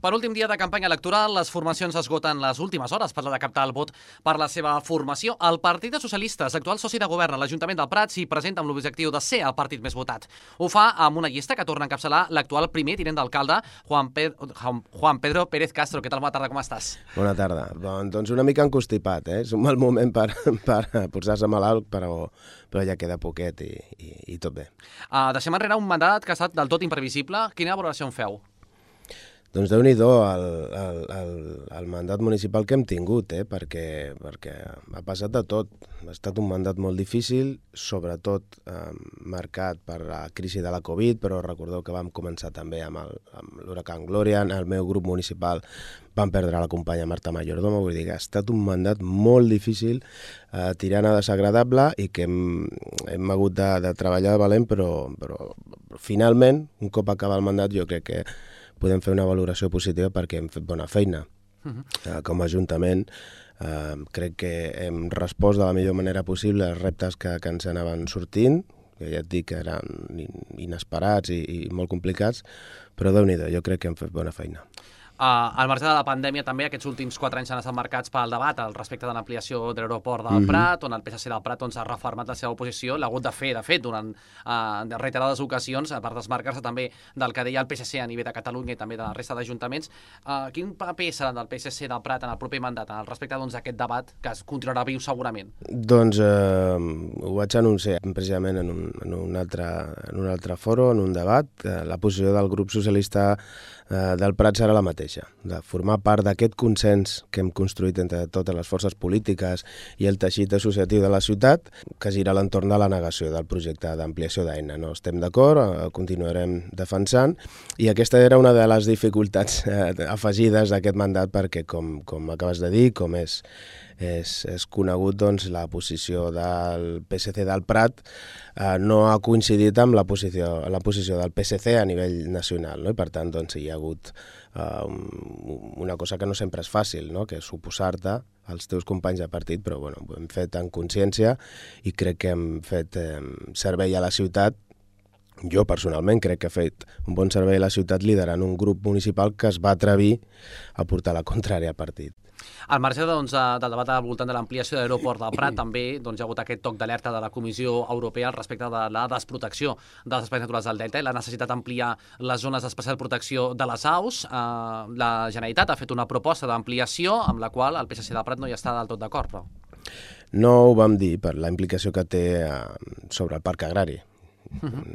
Per últim dia de campanya electoral, les formacions esgoten les últimes hores per la de captar el vot per la seva formació. El Partit dels Socialistes, actual soci de govern a l'Ajuntament del Prat, s'hi presenta amb l'objectiu de ser el partit més votat. Ho fa amb una llista que torna a encapçalar l'actual primer tinent d'alcalde, Juan Pedro Pérez Castro. Què tal? Bona tarda, com estàs? Bona tarda. Doncs una mica encostipat, És un mal moment per posar-se malalt, però ja queda poquet i tot bé. Deixem enrere un mandat que ha estat del tot imprevisible. Quina valoració en feu? Doncs Déu-n'hi-do el mandat municipal que hem tingut, perquè ha passat de tot. Ha estat un mandat molt difícil, sobretot marcat per la crisi de la Covid, però recordeu que vam començar també amb l'huracan Gloria. El meu grup municipal vam perdre la companya Marta Mayordomo, vull dir que ha estat un mandat molt difícil, tirant a desagradable, i que hem hagut de treballar de valent, però finalment, un cop acaba el mandat, jo crec que podem fer una valoració positiva perquè hem fet bona feina. Com a Ajuntament crec que hem respost de la millor manera possible als reptes que ens anaven sortint, que ja et dic que eren inesperats i molt complicats, però Déu-n'hi-do, jo crec que hem fet bona feina. Al marge de la pandèmia, també aquests últims 4 anys han estat marcats pel debat al respecte de l'ampliació de l'aeroport del Prat, on el PSC del Prat ha refermat la seva oposició. L'ha hagut de fer, durant reiterades ocasions, per desmarcar-se també del que deia el PSC a nivell de Catalunya i també de la resta d'ajuntaments. Quin paper serà del PSC del Prat en el proper mandat, al respecte d'aquest debat, que es continuarà viu segurament? Doncs ho vaig anunciar precisament en un altre foro, en un debat. La posició del grup socialista del Prat serà la mateixa, de formar part d'aquest consens que hem construït entre totes les forces polítiques i el teixit associatiu de la ciutat, que gira a l'entorn de la negació del projecte d'ampliació d'Aina. No estem d'acord, continuarem defensant, i aquesta era una de les dificultats afegides d'aquest mandat, perquè, com acabes de dir, com és conegut, doncs la posició del PSC del Prat no ha coincidit amb la posició del PSC a nivell nacional, no? I per tant doncs, hi ha hagut una cosa que no sempre és fàcil, no? Que és oposar-te als teus companys de partit, però bueno, ho hem fet en consciència i crec que hem fet servei a la ciutat. Jo personalment crec que he fet un bon servei a la ciutat liderant un grup municipal que es va atrevir a portar la contrària al partit. Al marge del debat al voltant de l'ampliació de l'aeroport del Prat, també hi ha hagut aquest toc d'alerta de la Comissió Europea respecte de la desprotecció dels espais naturals del Delta i la necessitat d'ampliar les zones d'especial protecció de les aus. La Generalitat ha fet una proposta d'ampliació amb la qual el PSC del Prat no hi està del tot d'acord, però... No ho vam dir per la implicació que té sobre el parc agrari.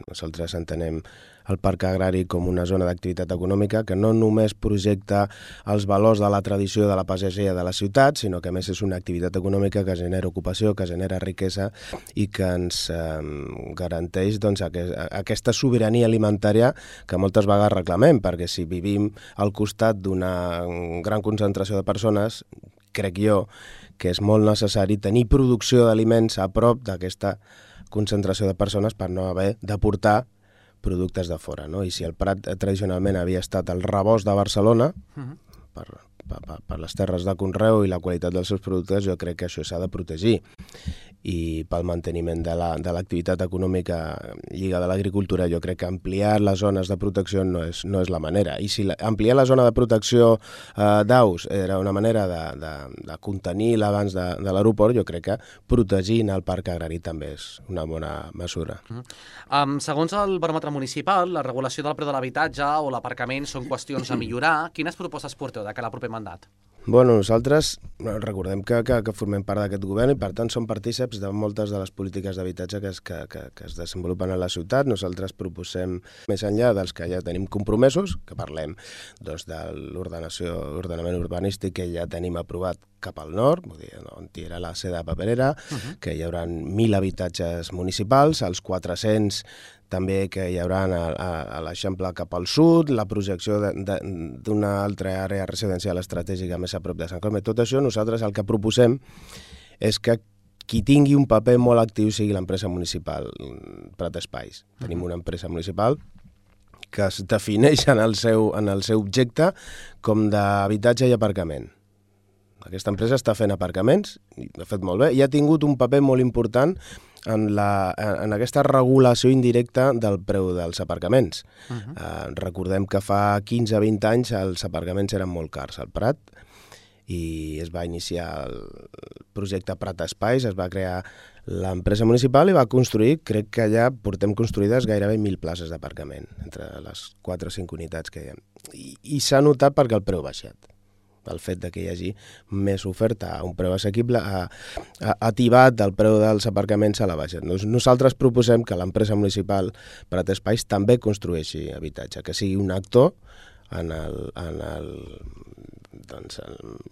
Nosaltres entenem el parc agrari com una zona d'activitat econòmica que no només projecta els valors de la tradició de la pagesia de la ciutat, sinó que a més és una activitat econòmica que genera ocupació, que genera riquesa i que ens garanteix doncs, aquesta sobirania alimentària que moltes vegades reclamem, perquè si vivim al costat d'una gran concentració de persones, crec jo que és molt necessari tenir producció d'aliments a prop d'aquesta concentració de persones per no haver de portar productes de fora, no? I si el Prat tradicionalment havia estat el rebost de Barcelona, per les terres de conreu i la qualitat dels seus productes, jo crec que això s'ha de protegir. I pel manteniment de l'activitat econòmica lligada a l'agricultura, jo crec que ampliar les zones de protecció no és la manera. I si ampliar la zona de protecció d'aus era una manera de contenir l'abans de l'aeroport, jo crec que protegint el parc agrari també és una bona mesura. Segons el baròmetre municipal, la regulació del preu de l'habitatge o l'aparcament són qüestions a millorar. Quines propostes porteu de cara al proper mandat? Bueno, nosaltres recordem que formem part d'aquest govern i per tant som partíceps de moltes de les polítiques d'habitatge que es desenvolupen a la ciutat. Nosaltres proposem, més enllà dels que ja tenim compromesos, que parlem doncs, de l'ordenament urbanístic que ja tenim aprovat cap al nord, vull dir, on hi era la seda paperera, que hi haurà 1.000 habitatges municipals, els 400 també que hi haurà a l'Eixample cap al sud, la projecció d'una altra àrea residencial estratègica més a prop de Sant Cosme. Tot això nosaltres el que proposem és que qui tingui un paper molt actiu sigui l'empresa municipal Prat Espais. Tenim una empresa municipal que es defineix en el seu objecte com d'habitatge i aparcament. Aquesta empresa està fent aparcaments, i ho ha fet molt bé, i ha tingut un paper molt important en aquesta regulació indirecta del preu dels aparcaments. Recordem que fa 15-20 anys els aparcaments eren molt cars al Prat i es va iniciar el projecte Prat Espais, es va crear l'empresa municipal i va construir, crec que ja portem construïdes gairebé 1.000 places d'aparcament entre les 4 o 5 unitats que hi ha. I s'ha notat perquè el preu ha baixat. El fet de que hi hagi més oferta a un preu assequible ha tibat el preu dels aparcaments a la baixa. Nosaltres proposem que l'empresa municipal Prat Espais també construeixi habitatge, que sigui un actor en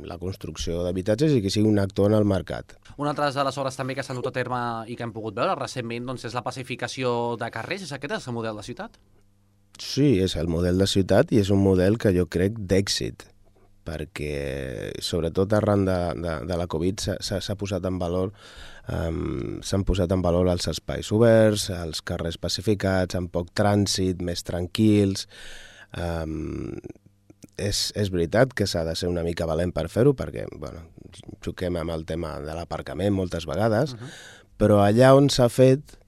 la construcció d'habitatges i que sigui un actor en el mercat. Una altra de les obres també que s'han dut a terme i que hem pogut veure recentment és la pacificació de carrers. És aquest el model de ciutat? Sí, és el model de ciutat i és un model que jo crec d'èxit, perquè sobretot arran de la Covid s'ha posat en valor, s'han posat en valor els espais oberts, els carrers pacificats, amb poc trànsit, més tranquils. És veritat que s'ha de ser una mica valent per fer-ho, perquè xoquem amb el tema de l'aparcament moltes vegades, però allà on s'ha fet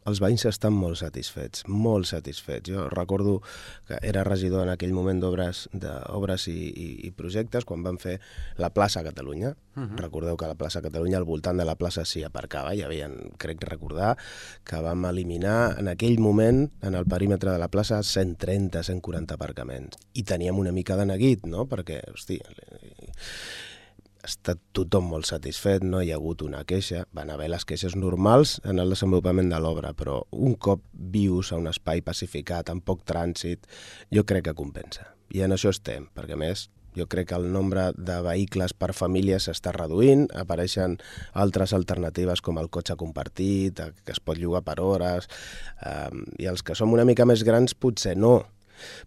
els veïns estan molt satisfets, molt satisfets. Jo recordo que era regidor en aquell moment d'obres i projectes quan van fer la plaça Catalunya. Recordeu que la plaça Catalunya, al voltant de la plaça s'hi aparcava, hi havia, crec recordar, que vam eliminar en aquell moment, en el perímetre de la plaça, 130-140 aparcaments. I teníem una mica de neguit, no? Perquè, hòstia, ha estat tothom molt satisfet, no hi ha hagut una queixa. Van haver les queixes normals en el desenvolupament de l'obra, però un cop vius a un espai pacificat, amb poc trànsit, jo crec que compensa. I en això estem, perquè a més jo crec que el nombre de vehicles per família s'està reduint, apareixen altres alternatives com el cotxe compartit, que es pot llogar per hores, i els que som una mica més grans potser no,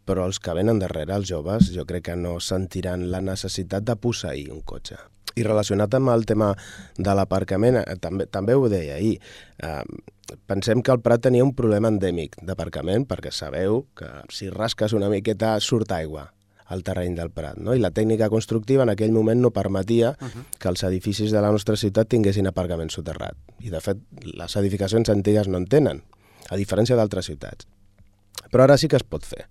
però els que venen darrere, els joves, jo crec que no sentiran la necessitat de posseir un cotxe. I relacionat amb el tema de l'aparcament, també ho deia ahir, pensem que el Prat tenia un problema endèmic d'aparcament, perquè sabeu que si rasques una miqueta surt aigua al terreny del Prat, no? I la tècnica constructiva en aquell moment no permetia que els edificis de la nostra ciutat tinguessin aparcament soterrat. I de fet, les edificacions antigues no en tenen, a diferència d'altres ciutats. Però ara sí que es pot fer.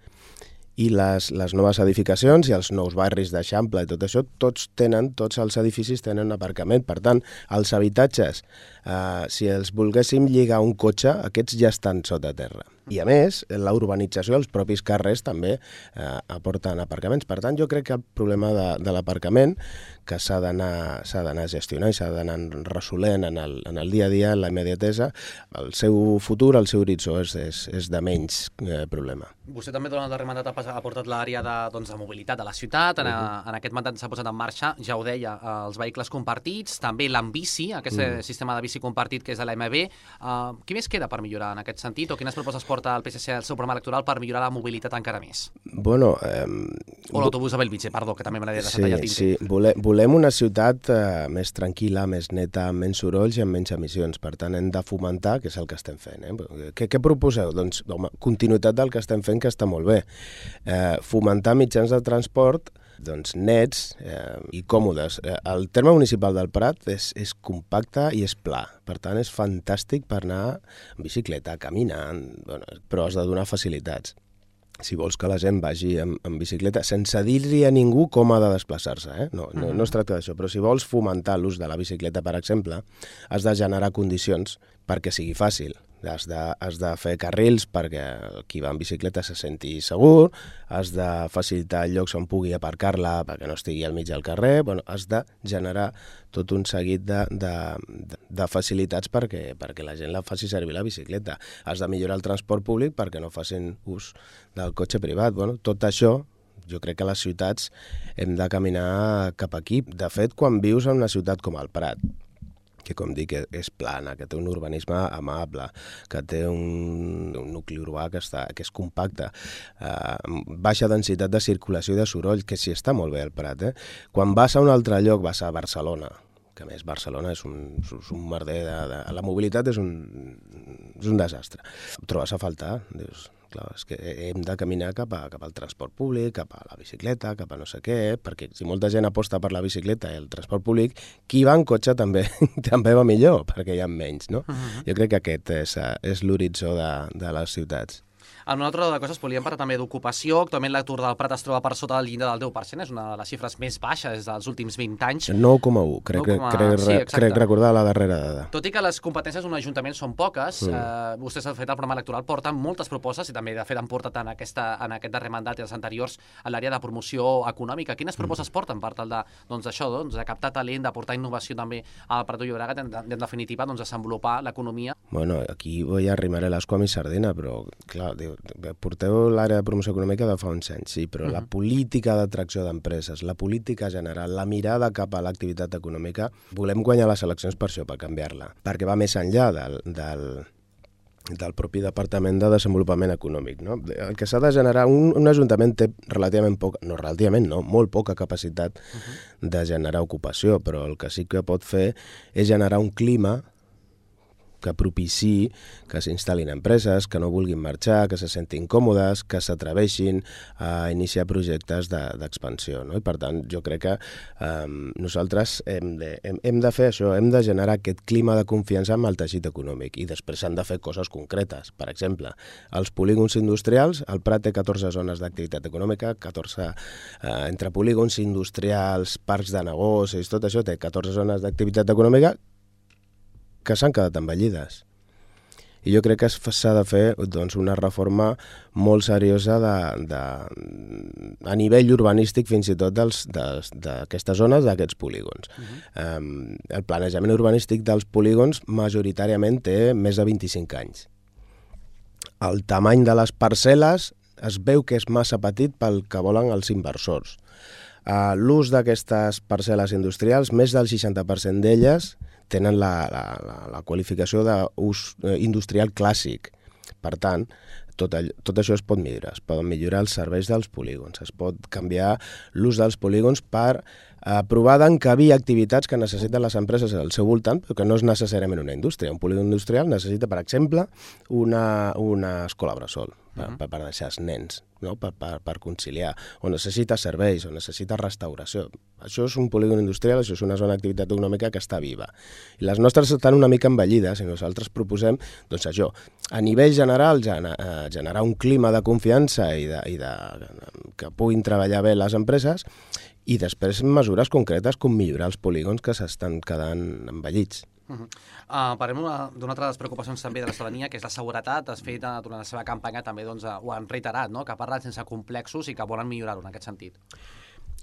I les noves edificacions i els nous barris d'Eixample i tot això, tots els edificis tenen aparcament. Per tant, els habitatges, si els volguéssim lligar a un cotxe, aquests ja estan sota terra. I a més, la urbanització, els propis carrers també aporten aparcaments. Per tant, jo crec que el problema de l'aparcament, que s'ha d'anar gestionant i s'ha d'anar resolent en el dia a dia, en la immediatesa, el seu futur, el seu horitzó és de menys problema. Vostè també durant el darrer mandat ha portat l'àrea de mobilitat de la ciutat. En aquest mandat s'ha posat en marxa, ja ho deia, els vehicles compartits, també l'Ambici, aquest sistema de bici compartit que és de l'AMB. Què més queda per millorar en aquest sentit o quines propostes porta el PSC al seu programa electoral per millorar la mobilitat encara més? Bueno... O l'autobús de Bellvitge, perdó, que també m'agradaria deixar tallat tinter. Sí, volem una ciutat més tranquil·la, més neta, amb menys sorolls i amb menys emissions. Per tant, hem de fomentar, que és el que estem fent. Què proposeu? Doncs, home, continuïtat del que estem fent, que està molt bé. Fomentar mitjans de transport nets i còmodes. El terme municipal del Prat és compacte i és pla. Per tant, és fantàstic per anar en bicicleta, caminant, però has de donar facilitats. Si vols que la gent vagi en bicicleta, sense dir-li a ningú com ha de desplaçar-se, no es tracta d'això, però si vols fomentar l'ús de la bicicleta, per exemple, has de generar condicions perquè sigui fàcil. Has de fer carrils perquè qui va en bicicleta se senti segur, has de facilitar llocs on pugui aparcar-la perquè no estigui al mig del carrer, has de generar tot un seguit de facilitats perquè la gent la faci servir la bicicleta. Has de millorar el transport públic perquè no facin ús del cotxe privat. Tot això jo crec que a les ciutats hem de caminar cap aquí. De fet, quan vius en una ciutat com el Prat, que com dic és plana, que té un urbanisme amable, que té un nucli urbà que és compacte, baixa densitat de circulació i de soroll, que sí està molt bé al Prat. Quan vas a un altre lloc, vas a Barcelona, que a més Barcelona és un merder, la mobilitat és un desastre. Ho trobes a faltar, dius, Clar, és que hem de caminar cap al transport públic, cap a la bicicleta, cap a no sé què, perquè si molta gent aposta per la bicicleta i el transport públic, qui va en cotxe també va millor, perquè hi ha menys, no? Jo crec que aquest és l'horitzó de les ciutats. En una altra de coses, volíem parlar també d'ocupació. Actualment l'atur del Prat es troba per sota del llindar del 10%, és una de les xifres més baixes dels últims 20 anys. 9,1, crec recordar la darrera dada. Tot i que les competències d'un ajuntament són poques, vostès han fet el programa electoral, porten moltes propostes, i també de fet han portat en aquest darrer mandat i els anteriors a l'àrea de promoció econòmica. Quines propostes porten per tal de captar talent, de portar innovació també al Prat de Llobregat, en definitiva, desenvolupar l'economia? Bueno, aquí ja arrimaré l'escua i sardina, però clar, porteu l'àrea de promoció econòmica de fa uns anys, sí, però la política d'atracció d'empreses, la política general, la mirada cap a l'activitat econòmica, volem guanyar les eleccions per això, per canviar-la, perquè va més enllà del propi Departament de Desenvolupament Econòmic, no? El que s'ha de generar, un ajuntament té molt poca capacitat de generar ocupació, però el que sí que pot fer és generar un clima que propiciï que s'instal·lin empreses, que no vulguin marxar, que se sentin còmodes, que s'atreveixin a iniciar projectes d'expansió, no? I per tant, jo crec que nosaltres hem de fer això, hem de generar aquest clima de confiança amb el teixit econòmic, i després s'han de fer coses concretes. Per exemple, els polígons industrials, el Prat té 14 zones d'activitat econòmica, 14 entre polígons industrials, parcs de negocis, tot això té 14 zones d'activitat econòmica que s'han quedat envellides. I jo crec que s'ha de fer una reforma molt seriosa a nivell urbanístic, fins i tot d'aquestes zones, d'aquests polígons. El planejament urbanístic dels polígons majoritàriament té més de 25 anys. El tamany de les parcel·les es veu que és massa petit pel que volen els inversors. L'ús d'aquestes parcel·les industrials, més del 60% d'elles tenen la qualificació d'ús industrial clàssic. Per tant, tot això es pot millorar. Es poden millorar els serveis dels polígons, es pot canviar l'ús dels polígons per provar d'encabir activitats que necessiten les empreses al seu voltant, però que no és necessàriament una indústria. Un polígon industrial necessita, per exemple, una escola bressol per deixar els nens, no? per conciliar, o necessita serveis, o necessita restauració. Això és un polígon industrial, això és una zona d'activitat econòmica que està viva. I les nostres estan una mica envellides, i nosaltres proposem això, a nivell general, generar un clima de confiança i que puguin treballar bé les empreses, i després mesures concretes com millorar els polígons que s'estan quedant envellits. Parlem d'una altra de les preocupacions també de la ciutadania, que és la seguretat. Has fet durant la seva campanya també ho han reiterat, no? Que parlen sense complexos i que volen millorar-ho en aquest sentit.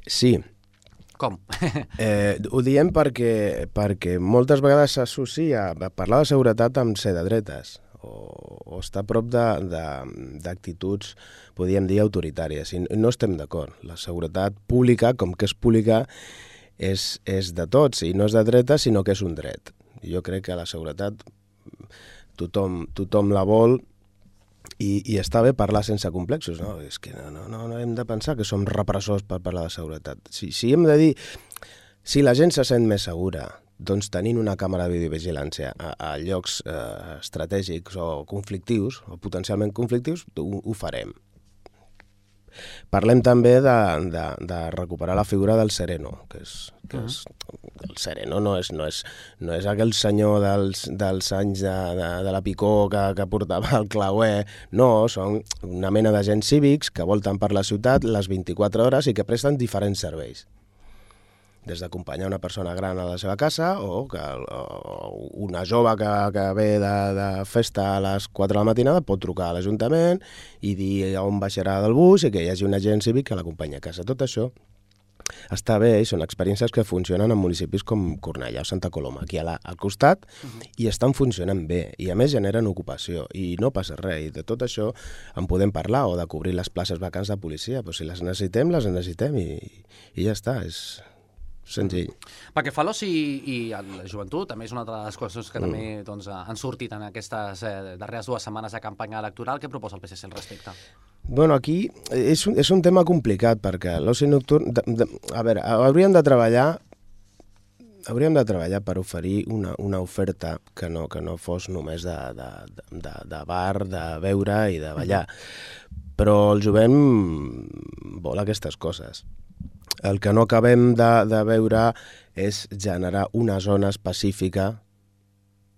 Sí. Com? Ho diem perquè moltes vegades s'associa parlar de seguretat amb ser de dretes o estar a prop d'actituds, podríem dir, autoritàries. I no estem d'acord. La seguretat pública, com que és pública, és de tots, i no és de dreta, sinó que és un dret. Jo crec que la seguretat tothom la vol, i està bé parlar sense complexos, no? És que no hem de pensar que som repressors per parlar de seguretat. Si hem de dir, si la gent se sent més segura, doncs tenint una càmera de videovigilància a llocs estratègics o conflictius, o potencialment conflictius, ho farem. Parlem també de recuperar la figura del sereno, que és el sereno no és aquell senyor dels anys de la picó que portava el clauer, no, són una mena d'agents cívics que volten per la ciutat les 24 hores i que presten diferents serveis. Des d'acompanyar una persona gran a la seva casa o una jove que ve de festa a les 4 de la matinada pot trucar a l'Ajuntament i dir on baixarà del bus i que hi hagi un agent cívic que l'acompanyi a casa. Tot això està bé i són experiències que funcionen en municipis com Cornellà o Santa Coloma, aquí al costat, i estan funcionant bé i a més generen ocupació i no passa res. I de tot això en podem parlar, o de cobrir les places vacants de policia, però si les necessitem i ja està, és senzill. Pel que fa a l'oci i a la joventut, també és una de les qüestions que també han sortit en aquestes darreres 2 setmanes de campanya electoral. Què proposa el PSC al respecte? Bueno, aquí és un tema complicat, perquè l'oci nocturn... A veure, hauríem de treballar hauríem de treballar per oferir una oferta que no fos només de bar, de beure i de ballar. Però el jovent vol aquestes coses. El que no acabem de veure és generar una zona específica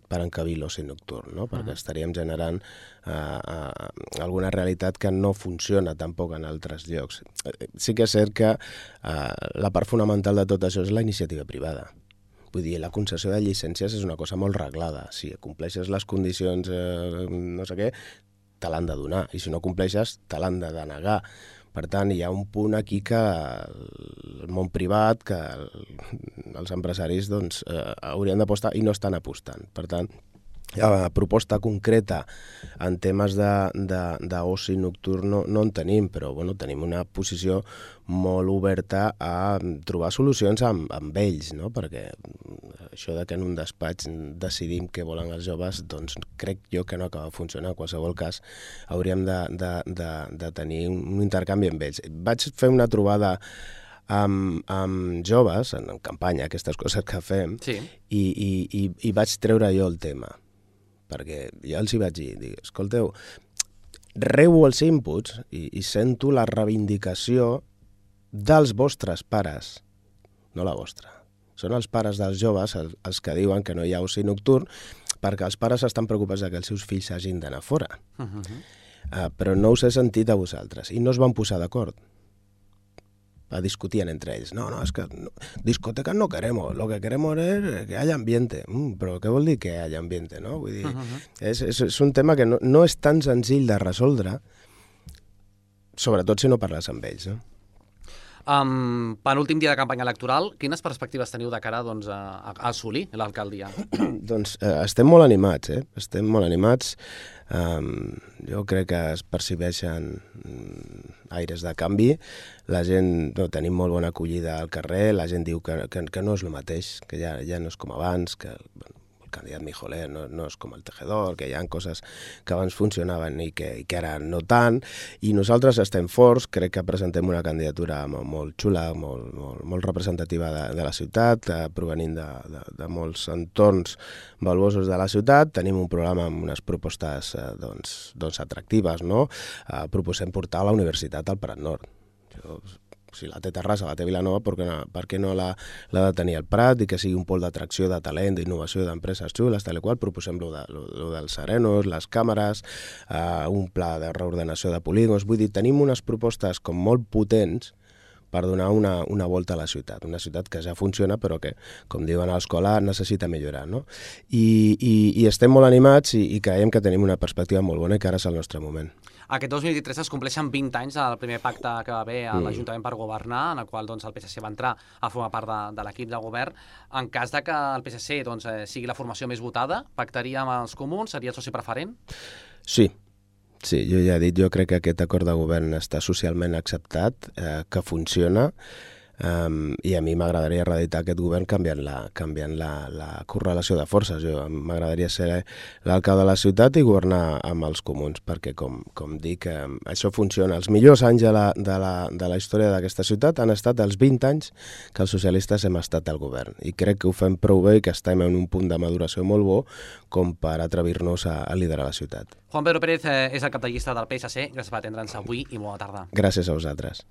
per encabir l'oci nocturn, no? Perquè estaríem generant alguna realitat que no funciona tampoc en altres llocs. Sí que és cert que la part fonamental de tot això és la iniciativa privada. Vull dir, la concessió de llicències és una cosa molt reglada. Si compleixes les condicions no sé què, te l'han de donar. I si no compleixes, te l'han de denegar. Per tant, hi ha un punt aquí que el món privat, que els empresaris doncs, haurien d'apostar i no estan apostant. Per tant, la proposta concreta en temes d'oci nocturn no en tenim, però bueno, tenim una posició molt oberta a trobar solucions amb ells, no? Perquè això de que en un despatx decidim què volen els joves, doncs crec jo que no acaba de funcionar. En qualsevol cas, hauríem de tenir un intercanvi amb ells. Vaig fer una trobada amb joves, en campanya, aquestes coses que fem, sí. i vaig treure jo el tema, perquè ja els hi vaig dir, escolteu, rebo els inputs i sento la reivindicació dels vostres pares, no la vostra. Són els pares dels joves els que diuen que no hi ha oci nocturn perquè els pares estan preocupats que els seus fills hagin d'anar fora. Però no us he sentit a vosaltres i no es van posar d'acord. Discutien entre ells. No, és que discoteca no queremos, lo que queremos es que haya ambiente. Però què vol dir que haya ambiente, no? Vull dir, és un tema que no és tan senzill de resoldre, sobretot si no parles amb ells, no? Penúltim dia de campanya electoral, quines perspectives teniu de cara doncs, a assolir l'alcaldia? Doncs estem molt animats, estem molt animats. Jo crec que es percibeixen aires de canvi. La gent, tenim molt bona acollida al carrer, la gent diu que no és el mateix, que ja no és com abans, que el candidat Mijoler no és com el Tejedor, que hi ha coses que abans funcionaven i que ara no tant, i nosaltres estem forts, crec que presentem una candidatura molt xula, molt representativa de la ciutat, provenint de molts entorns valuosos de la ciutat. Tenim un programa amb unes propostes doncs atractives, no? Proposem portar la universitat al Prat Nord. Si la té Terrassa, la té Vilanova, per què no l'ha de tenir al Prat i que sigui un pol d'atracció, de talent, d'innovació, d'empreses xules, tal i qual. Proposem lo dels serenos, les càmeres, un pla de reordenació de polígons. Vull dir, tenim unes propostes com molt potents per donar una volta a la ciutat. Una ciutat que ja funciona, però que, com diuen a l'escola, necessita millorar, no? I estem molt animats i creiem que tenim una perspectiva molt bona i que ara és el nostre moment. Aquest 2023 es compleixen 20 anys del primer pacte que va haver a l'Ajuntament per governar, en el qual doncs, el PSC va entrar a formar part de l'equip de govern. En cas de que el PSC doncs, sigui la formació més votada, pactaria amb els comuns? Seria el soci preferent? Sí, jo ja he dit, jo crec que aquest acord de govern està socialment acceptat, que funciona, i a mi m'agradaria reeditar aquest govern canviant la correlació de forces. M'agradaria ser l'alcalde de la ciutat i governar amb els comuns, perquè, com dic, això funciona. Els millors anys de la història d'aquesta ciutat han estat els 20 anys que els socialistes hem estat al govern, i crec que ho fem prou bé i que estem en un punt de maduració molt bo com per atrevir-nos a liderar la ciutat. Juan Pedro Pérez és el cap de llista del PSC. Gràcies per atendre'ns avui i bona tarda. Gràcies a vosaltres.